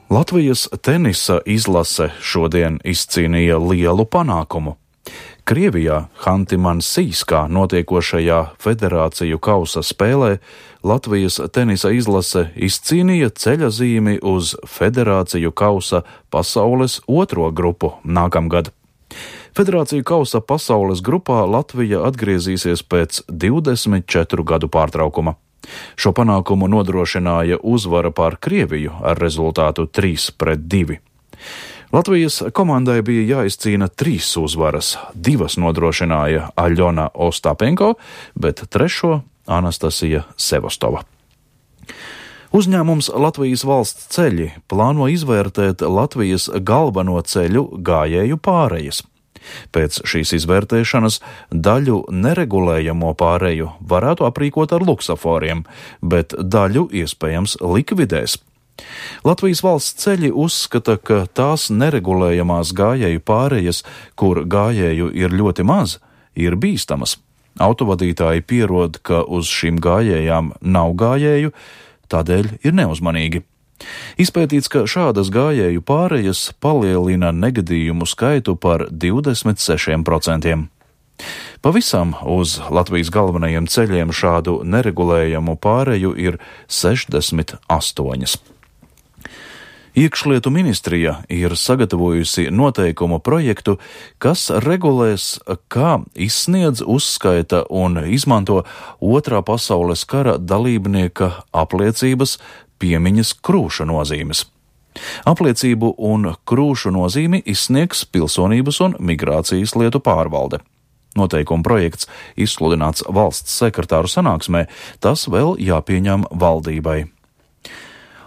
Latvijas tenisa izlase šodien izcīnīja lielu panākumu. Krievijā Hanti-Mansijskā notiekošajā federāciju kausa spēlē Latvijas tenisa izlase izcīnīja ceļazīmi uz federāciju kausa pasaules otro grupu nākamgad. Federāciju kausa pasaules grupā Latvija atgriezīsies pēc 24 gadu pārtraukuma. Šo panākumu nodrošināja uzvara pār Krieviju ar rezultātu 3-2. Latvijas komandai bija jāizcīna 3 uzvaras, 2 nodrošināja Aļona Ostapenko, bet 3 Anastasija Sevostova. Uzņēmums Latvijas valsts ceļi plāno izvērtēt Latvijas galveno ceļu gājēju pārejas. Pēc šīs izvērtēšanas daļu neregulējamo pāreju varētu aprīkot ar luksaforiem, bet daļu iespējams likvidēs. Latvijas valsts ceļi uzskata, ka tās neregulējamās gājēju pārejas, kur gājēju ir ļoti maz, ir bīstamas. Autovadītāji pierod, ka uz šīm gājējām nav gājēju, tādēļ ir neuzmanīgi. Izpētīts, ka šādas gājēju pārejas palielina negadījumu skaitu par 26%. Pavisam uz Latvijas galvenajiem ceļiem šādu neregulējamu pāreju ir 68. Iekšlietu ministrija ir sagatavojusi noteikumu projektu, kas regulēs, kā izsniedz, uzskaita un izmanto Otrā pasaules kara dalībnieka apliecības piemiņas krūša nozīmes. Apliecību un krūšu nozīmi izsniegs Pilsonības un migrācijas lietu pārvalde. Noteikuma projekts izsludināts valsts sekretāru sanāksmē, tas vēl jāpieņem valdībai.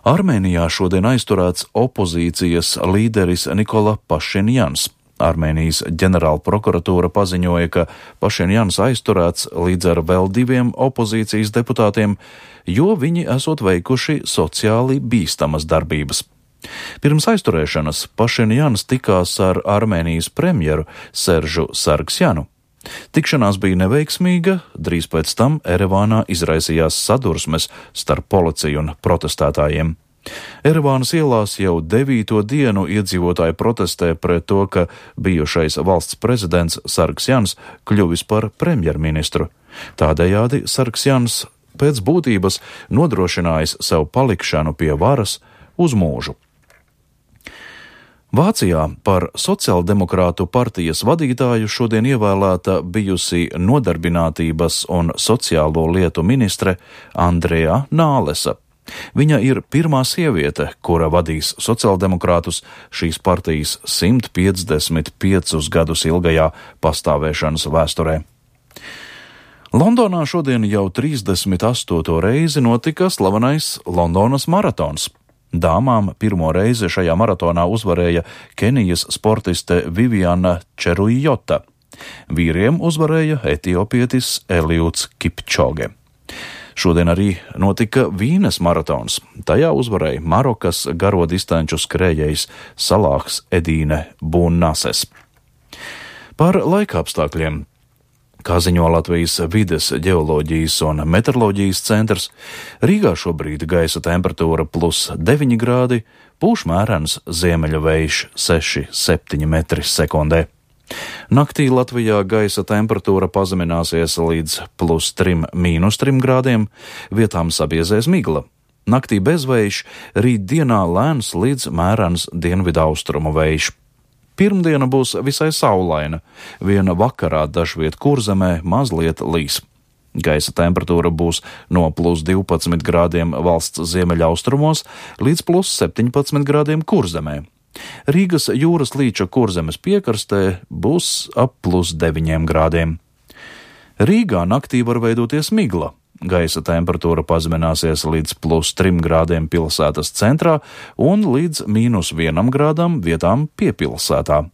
Armēnijā šodien aizturēts opozīcijas līderis Nikola Pašinjans. Armēnijas ģenerāla prokuratūra paziņoja, ka Pašinjans aizturēts līdz ar vēl 2 opozīcijas deputātiem, jo viņi esot veikuši sociāli bīstamas darbības. Pirms aizturēšanas Pašinjans tikās ar Armēnijas premjeru Seržu Sargsjanu. Tikšanās bija neveiksmīga, drīz pēc tam Erevānā izraisījās sadursmes starp policiju un protestētājiem. Erevānas ielās jau 9. dienu iedzīvotāji protestē pret to, ka bijušais valsts prezidents Sargsjans kļuvis par premjerministru. Tādējādi Sargsjans pēc būtības nodrošinājis sev palikšanu pie varas uz mūžu. Vācijā par sociāldemokrātu partijas vadītāju šodien ievēlēta bijusi nodarbinātības un sociālo lietu ministre Andrea Nālesa. Viņa ir pirmā sieviete, kura vadīs sociāldemokrātus šīs partijas 155 gadus ilgajā pastāvēšanas vēsturē. Londonā šodien jau 38. reizi notika slavenais Londonas maratons. Dāmām pirmo reizi šajā maratonā uzvarēja Kenijas sportiste Viviana Čerujota. Vīriem uzvarēja etiopietis Eliuds Kipčoge. Šodien arī notika Vīnes maratons. Tajā uzvarēja Marokas garo distanču skrējējs Salāhs Edīne Bunnases. Par laikapstākļiem. Kā ziņo Latvijas vides, ģeoloģijas un meteoroloģijas centrs, Rīgā šobrīd gaisa temperatūra +9 grādi, pūš mērens ziemeļu vējš 6-7 metri sekundē. Naktī Latvijā gaisa temperatūra pazemināsies līdz +3-3 grādiem, vietām sabiezēs migla. Naktī bezvējš, rīt dienā lēns līdz mērens dienvidaustrumu vējš. Pirmdiena būs visai saulaina, viena vakarā dažviet Kurzemē mazliet līs. Gaisa temperatūra būs no +12 grādiem valsts ziemeļaustrumos līdz +17 grādiem Kurzemē. Rīgas jūras līča Kurzemes piekrastē būs ap +9 grādiem. Rīgā naktī var veidoties migla. Gaisa temperatūra pazemināsies līdz +3 grādiem pilsētas centrā un līdz -1 grādam vietām piepilsētā.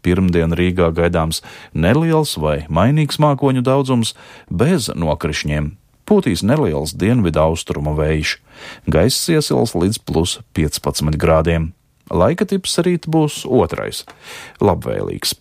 Pirmdien Rīgā gaidāms neliels vai mainīgs mākoņu daudzums bez nokrišņiem. Pūtīs neliels dienvidaustrumu vējš. Gaiss iesils līdz +15 grādiem. Laika tips rīt būs otrais - labvēlīgs.